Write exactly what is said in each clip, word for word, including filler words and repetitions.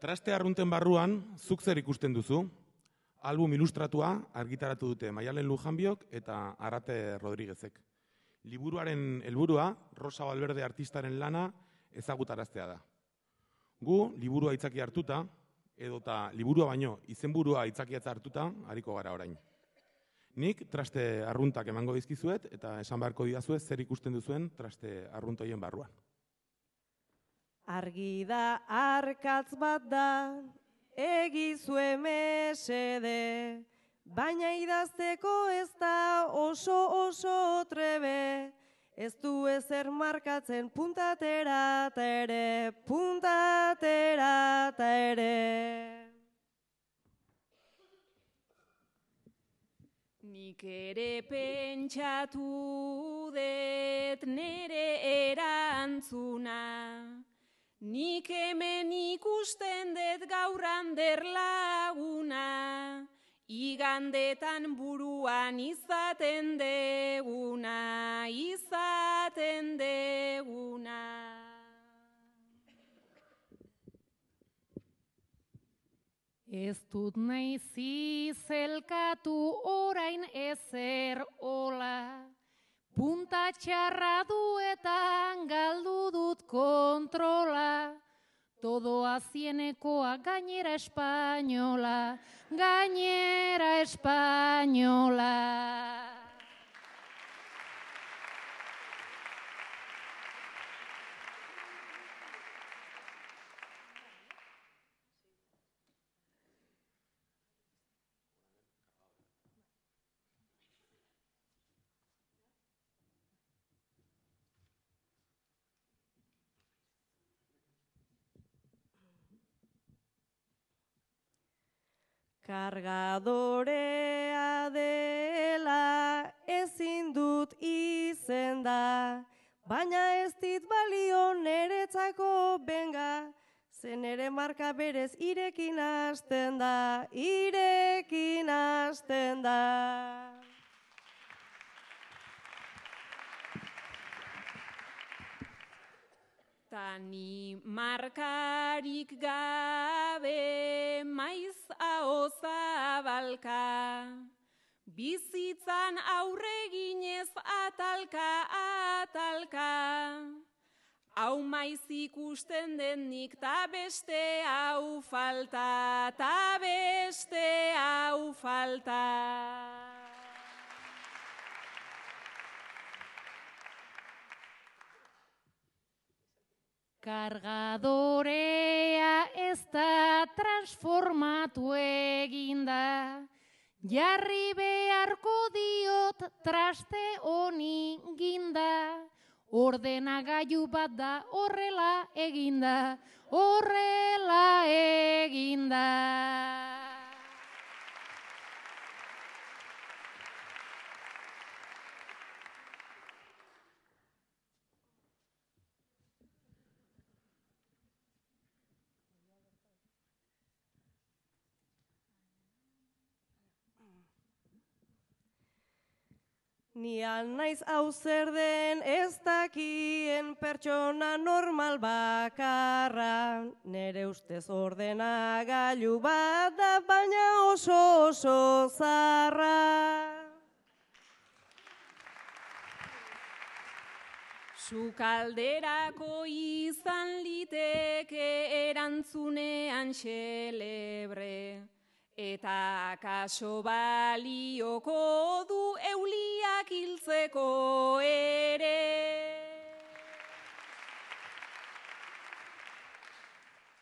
Traste arrunten barruan, zuk zer ikusten duzu? Album ilustratua argitaratu dute Maialen Lujanbiok eta Arate Rodriguezek. Liburuaren helburua Rosa Valverde artistaren lana ezagutaraztea da. Gu, liburua aitzaki hartuta, edota liburua baino izenburua aitzakiatza hartuta, ariko gara orain. Nik traste arruntak emango dizkizuet eta esan beharko didazuet zer ikusten duzuen traste arruntoien barruan. Argi da arkatz bat da, egizue mesede, baina idazteko ez da oso oso trebe, ez du ezer markatzen puntatera ta ere, puntatera ta ere. Nik ere pentsatu dut nere erantzuna, nik hemen ikusten dut gaur Ander laguna, igandetan buruan izaten deguna, izaten deguna. Ez dut nahi zizelkatu orain ezer ola, punta txarra duetan galdu dut kontrola, todo azienekoa gainera espainola, gainera espainola. Kargadorea dela ezin dut izenda, baina ez dit balio neretzako benga, zen ere marka berez irekin hasten da, irekin hasten da. Tani markarik gabe maiz aho zabalka, bizitzan aurreginez atalka, atalka. Hau maiz ikusten denik ta beste hau falta, ta beste hau falta. Kargadorea ez da transformatu eginda, jarri beharko diot traste honi ginda, ordenagailu bat da horrela eginda, horrela eginda. Ni naiz hau zer den ez dakien pertsona normal bakarra, nere ustez ordenagailu bat da baina oso oso zarra. Sukalderako izan liteke erantzunean xelebre, eta akaso balioko du euliak hiltzeko ere.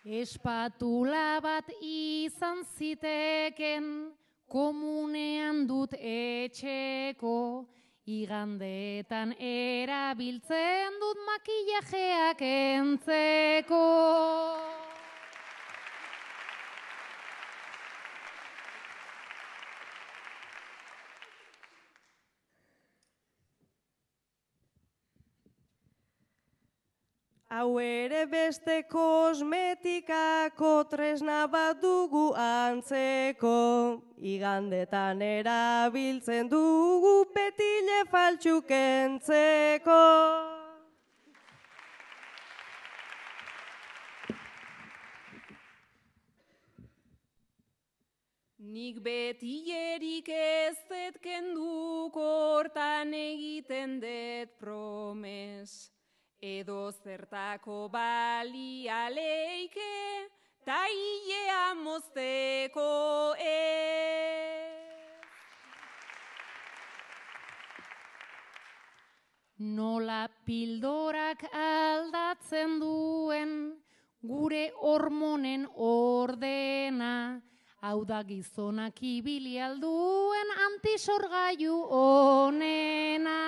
Espatula bat izan ziteken, komunean dut etxeko, igandetan erabiltzen dut makillajeak entzeko. Hau ere beste kosmetikako tresna bat dugu antzeko, igandetan erabiltzen dugu petile faltsuk entzeko. Nik betierik ez dut kenduko hortan egiten dut promes. Edo zertako balia leike, ta hilea mozteko ez. Nola pildorak aldatzen duen gure hormonen ordena, hau da gizonak ibili alduen antisorgailu honena.